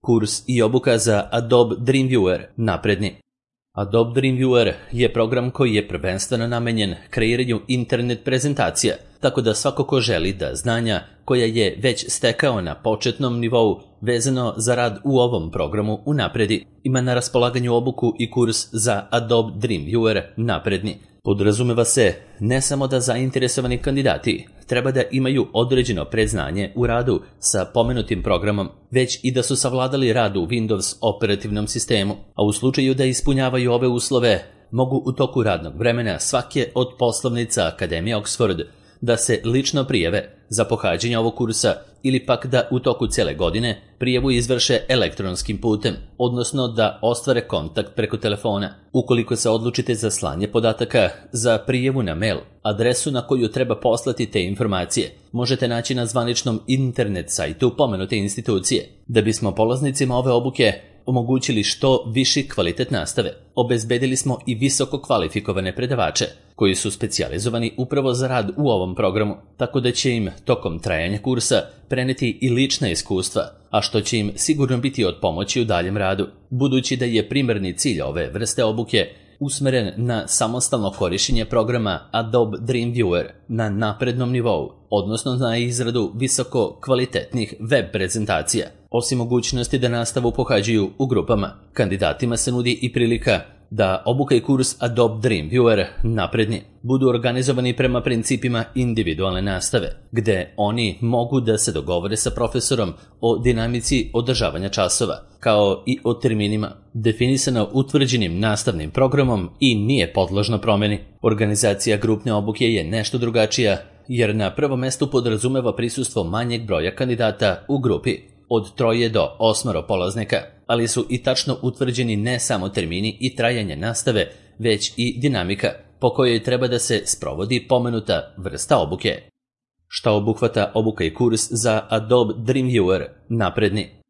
Kurs i obuka za Adobe Dreamviewer napredni. Adobe Dreamviewer je program koji je prvenstveno namenjen kreiranju internet prezentacija, tako da svako ko želi da znanja koja je već stekao na početnom nivou vezano za rad u ovom programu unapredi, ima na raspolaganju obuku i kurs za Adobe Dreamviewer napredni. Podrazumeva se ne samo da zainteresovani kandidati treba da imaju određeno predznanje u radu sa pomenutim programom, već i da su savladali rad u Windows operativnom sistemu, a u slučaju da ispunjavaju ove uslove, mogu u toku radnog vremena svake od poslovnica Akademije Oxford da se lično prijave za pohađanje ovog kursa ili pak da u toku cele godine prijavu izvrše elektronskim putem, odnosno da ostvare kontakt preko telefona. Ukoliko se odlučite za slanje podataka za prijavu na mail, adresu na koju treba poslati te informacije možete naći na zvaničnom internet sajtu pomenute institucije. Da bismo polaznicima ove obuke omogućili što viši kvalitet nastave, obezbedili smo i visoko kvalifikovane predavače koji su specijalizovani upravo za rad u ovom programu, tako da će im tokom trajanja kursa preneti i lična iskustva, a što će im sigurno biti od pomoći u daljem radu, budući da je primarni cilj ove vrste obuke usmeren na samostalno korišćenje programa Adobe Dreamviewer na naprednom nivou, odnosno na izradu visoko kvalitetnih web prezentacija. Osim mogućnosti da nastavu pohađaju u grupama, kandidatima se nudi i prilika da obuka i kurs Adobe Dreamviewer napredni budu organizovani prema principima individualne nastave, gde oni mogu da se dogovore sa profesorom o dinamici održavanja časova, kao i o terminima, definisano utvrđenim nastavnim programom i nije podložno promeni. Organizacija grupne obuke je nešto drugačija, jer na prvom mestu podrazumeva prisustvo manjeg broja kandidata u grupi, od 3 do 8 polaznika, ali su i tačno utvrđeni ne samo termini i trajanje nastave, već i dinamika po kojoj treba da se sprovodi pomenuta vrsta obuke. Šta obuhvata obuka i kurs za Adobe Dreamviewer napredni?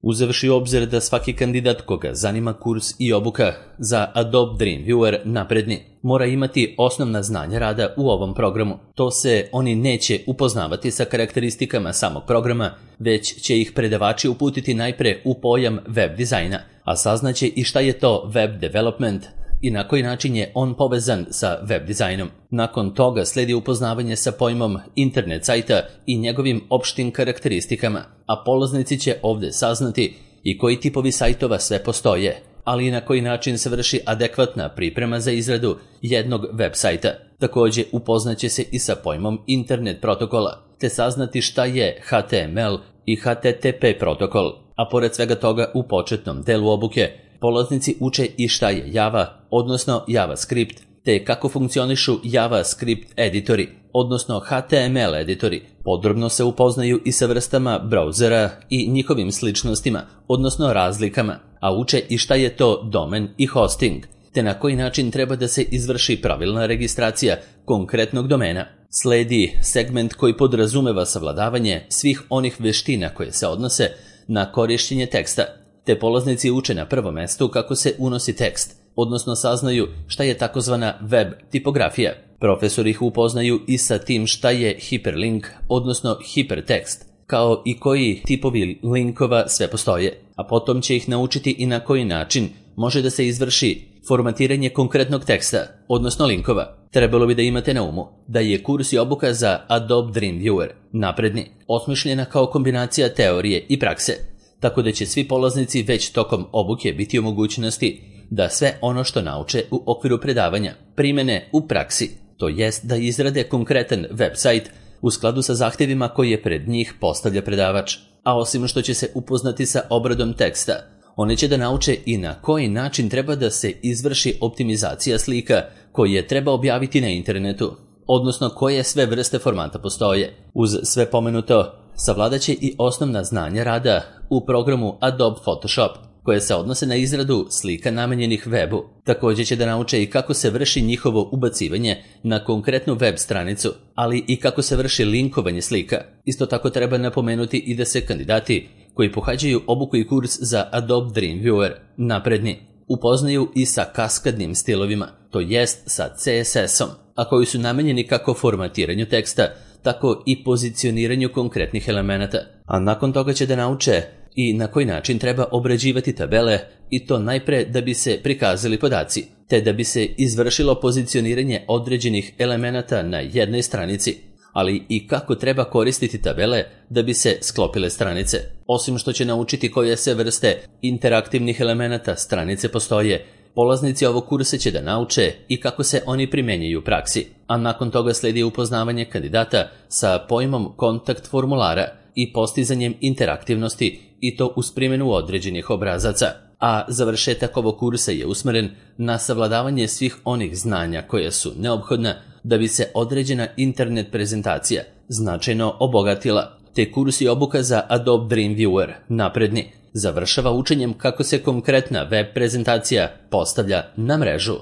Uzevši u obzir da svaki kandidat koga zanima kurs i obuka za Adobe Dreamviewer napredni mora imati osnovna znanja rada u ovom programu, to se oni neće upoznavati sa karakteristikama samog programa, već će ih predavači uputiti najpre u pojam web dizajna, a saznaće i šta je to web development i na koji način je on povezan sa web dizajnom. Nakon toga sledi upoznavanje sa pojmom internet sajta i njegovim opštim karakteristikama, a polaznici će ovde saznati i koji tipovi sajtova sve postoje, ali i na koji način se vrši adekvatna priprema za izradu jednog web sajta. Takođe upoznaće se i sa pojmom internet protokola, te saznati šta je HTML i HTTP protokol, a pored svega toga u početnom delu obuke polaznici uče i šta je Java, odnosno JavaScript, te kako funkcionišu JavaScript editori, odnosno HTML editori. Podrobno se upoznaju i sa vrstama brauzera i njihovim sličnostima, odnosno razlikama, a uče i šta je to domen i hosting, te na koji način treba da se izvrši pravilna registracija konkretnog domena. Sledi segment koji podrazumeva savladavanje svih onih veština koje se odnose na korišćenje teksta, te polaznici uče na prvom mestu kako se unosi tekst, odnosno saznaju šta je takozvana web tipografija. Profesori ih upoznaju i sa tim šta je hiperlink, odnosno hipertekst, kao i koji tipovi linkova sve postoje, a potom će ih naučiti i na koji način može da se izvrši formatiranje konkretnog teksta, odnosno linkova. Trebalo bi da imate na umu da je kurs i obuka za Adobe Dreamviewer napredni osmišljena kao kombinacija teorije i prakse, tako da će svi polaznici već tokom obuke biti u mogućnosti da sve ono što nauče u okviru predavanja primene u praksi, to jest da izrade konkretan web sajt u skladu sa zahtevima koje pred njih postavlja predavač. A osim što će se upoznati sa obradom teksta, oni će da nauče i na koji način treba da se izvrši optimizacija slika koje treba objaviti na internetu, odnosno koje sve vrste formata postoje. Uz sve pomenuto, savladaće i osnovna znanja rada u programu Adobe Photoshop, koje se odnose na izradu slika namenjenih webu. Također će da nauče i kako se vrši njihovo ubacivanje na konkretnu web stranicu, ali i kako se vrši linkovanje slika. Isto tako treba napomenuti i da se kandidati koji pohađaju obuku i kurs za Adobe Dreamviewer napredni upoznaju i sa kaskadnim stilovima, to jest sa CSS-om, a koji su namenjeni kako formatiranju teksta, tako i pozicioniranju konkretnih elemenata. A nakon toga će da nauče i na koji način treba obrađivati tabele, i to najpre da bi se prikazali podaci, te da bi se izvršilo pozicioniranje određenih elemenata na jednoj stranici, ali i kako treba koristiti tabele da bi se sklopile stranice. Osim što će naučiti koje se vrste interaktivnih elemenata stranice postoje, polaznici ovog kursa će da nauče i kako se oni primenjuju u praksi, a nakon toga sledi upoznavanje kandidata sa pojmom kontakt formulara i postizanjem interaktivnosti, i to uz primjenu određenih obrazaca. A završetak ovog kursa je usmeren na savladavanje svih onih znanja koje su neophodna da bi se određena internet prezentacija značajno obogatila, te kurs i obuka za Adobe Dreamviewer napredni završava učenjem kako se konkretna web prezentacija postavlja na mrežu.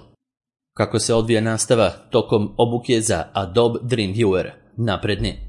Kako se odvija nastava tokom obuke za Adobe Dreamviewer napredni.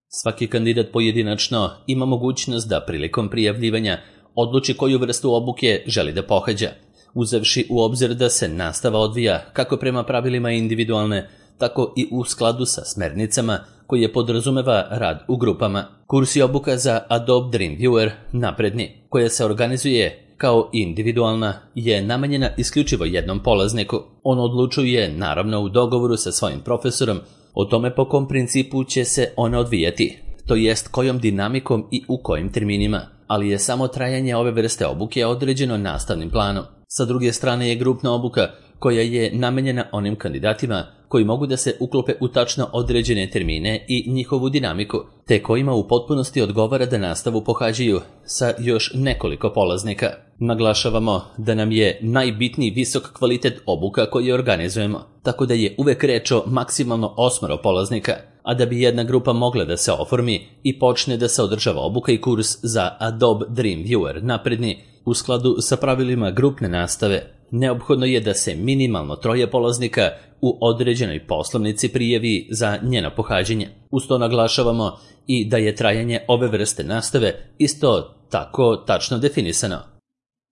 Svaki kandidat pojedinačno ima mogućnost da prilikom prijavljivanja odluči koju vrstu obuke želi da pohađa, uzevši u obzir da se nastava odvija kako prema pravilima individualne, tako i u skladu sa smernicama koje podrazumeva rad u grupama. Kurs i obuka za Adobe Dreamviewer napredni, koja se organizuje kao individualna, je namenjena isključivo jednom polazniku. On odlučuje, naravno u dogovoru sa svojim profesorom, o tome po kom principu će se ona odvijati, to jest kojom dinamikom i u kojim terminima, ali je samo trajanje ove vrste obuke određeno nastavnim planom. Sa druge strane je grupna obuka koja je namenjena onim kandidatima koji mogu da se uklope u tačno određene termine i njihovu dinamiku, te kojima u potpunosti odgovara da nastavu pohađaju sa još nekoliko polaznika. Naglašavamo da nam je najbitniji visok kvalitet obuka koje organizujemo, tako da je uvek reč o maksimalno 8 polaznika, a da bi jedna grupa mogla da se oformi i počne da se održava obuka i kurs za Adobe Dreamviewer napredni u skladu sa pravilima grupne nastave, neophodno je da se minimalno 3 polaznika u određenoj poslovnici prijavi za njeno pohađanje. Uz to naglašavamo i da je trajanje ove vrste nastave isto tako tačno definisano.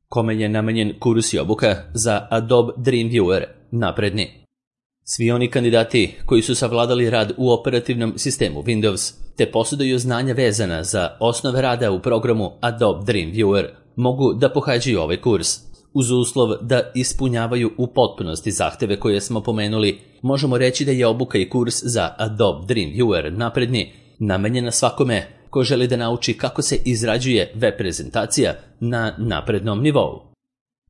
Kome je namenjen kurs i obuka za Adobe Dreamviewer napredni? Svi oni kandidati koji su savladali rad u operativnom sistemu Windows te posjeduju znanja vezana za osnove rada u programu Adobe Dreamviewer mogu da pohađaju ovaj kurs. Uz uslov da ispunjavaju u potpunosti zahteve koje smo pomenuli, možemo reći da je obuka i kurs za Adobe Dreamviewer napredni namenjena svakome ko želi da nauči kako se izrađuje web prezentacija na naprednom nivou.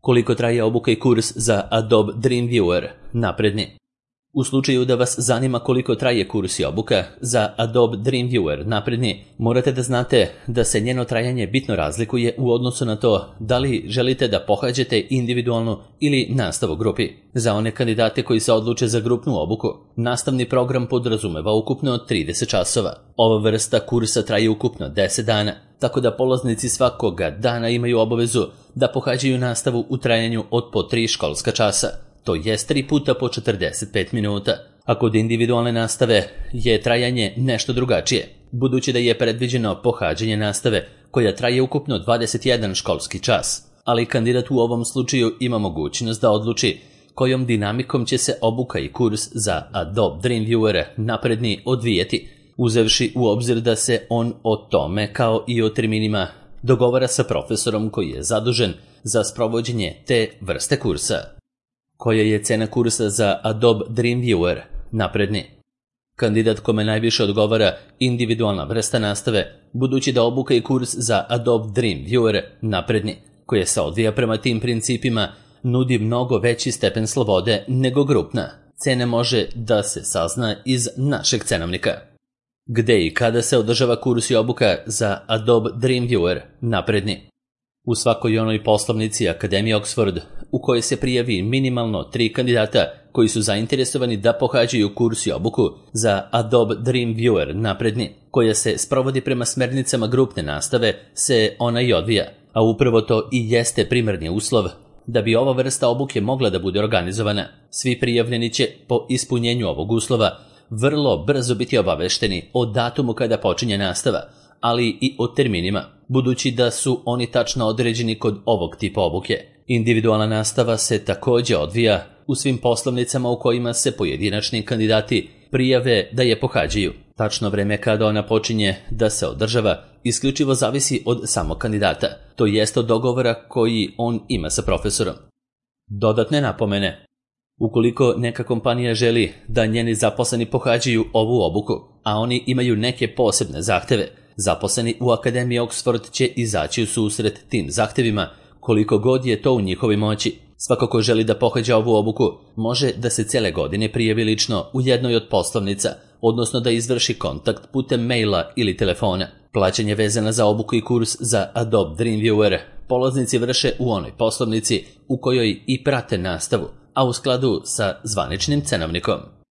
Koliko traje obuka i kurs za Adobe Dreamviewer napredni? U slučaju da vas zanima koliko traje kurs i obuka za Adobe Dreamviewer napredni, morate da znate da se njeno trajanje bitno razlikuje u odnosu na to da li želite da pohađate individualnu ili nastavu u grupi. Za one kandidate koji se odluče za grupnu obuku, nastavni program podrazumeva ukupno 30 časova. Ova vrsta kursa traje ukupno 10 dana, tako da polaznici svakoga dana imaju obavezu da pohađaju nastavu u trajanju od po 3 školska časa. To jest 3 puta po 45 minuta, a kod individualne nastave je trajanje nešto drugačije, budući da je predviđeno pohađanje nastave koja traje ukupno 21 školski čas, ali kandidat u ovom slučaju ima mogućnost da odluči kojom dinamikom će se obuka i kurs za Adobe Dreamviewer napredni odvijeti, uzevši u obzir da se on o tome kao i o terminima dogovara sa profesorom koji je zadužen za sprovođenje te vrste kursa. Koja je cena kursa za Adobe Dreamviewer napredni? Kandidat kome najviše odgovara individualna vrsta nastave, budući da obuka i kurs za Adobe Dreamviewer napredni, koje se odvija prema tim principima, nudi mnogo veći stepen slobode nego grupna. Cena može da se sazna iz našeg cenovnika. Gde i kada se održava kurs i obuka za Adobe Dreamviewer napredni? U svakoj onoj poslovnici Akademije Oxford u kojoj se prijavi minimalno 3 kandidata koji su zainteresovani da pohađaju kurs i obuku za Adobe Dreamviewer napredni, koja se sprovodi prema smernicama grupne nastave, se ona i odvija, a upravo to i jeste primarni uslov da bi ova vrsta obuke mogla da bude organizovana. Svi prijavljeni će po ispunjenju ovog uslova vrlo brzo biti obavešteni o datumu kada počinje nastava, ali i o terminima, budući da su oni tačno određeni kod ovog tipa obuke. Individualna nastava se također odvija u svim poslovnicama u kojima se pojedinačni kandidati prijave da je pohađaju. Tačno vreme kada ona počinje da se održava isključivo zavisi od samog kandidata, to jest od dogovora koji on ima sa profesorom. Dodatne napomene. Ukoliko neka kompanija želi da njeni zaposleni pohađaju ovu obuku, a oni imaju neke posebne zahteve, zaposleni u Akademiji Oxford će izaći u susret tim zahtevima koliko god je to u njihovoj moći. Svako ko želi da pohađa ovu obuku može da se cele godine prijavi lično u jednoj od poslovnica, odnosno da izvrši kontakt putem maila ili telefona. Plaćanje vezano za obuku i kurs za Adobe Dreamviewer polaznici vrše u onoj poslovnici u kojoj i prate nastavu, a u skladu sa zvaničnim cenovnikom.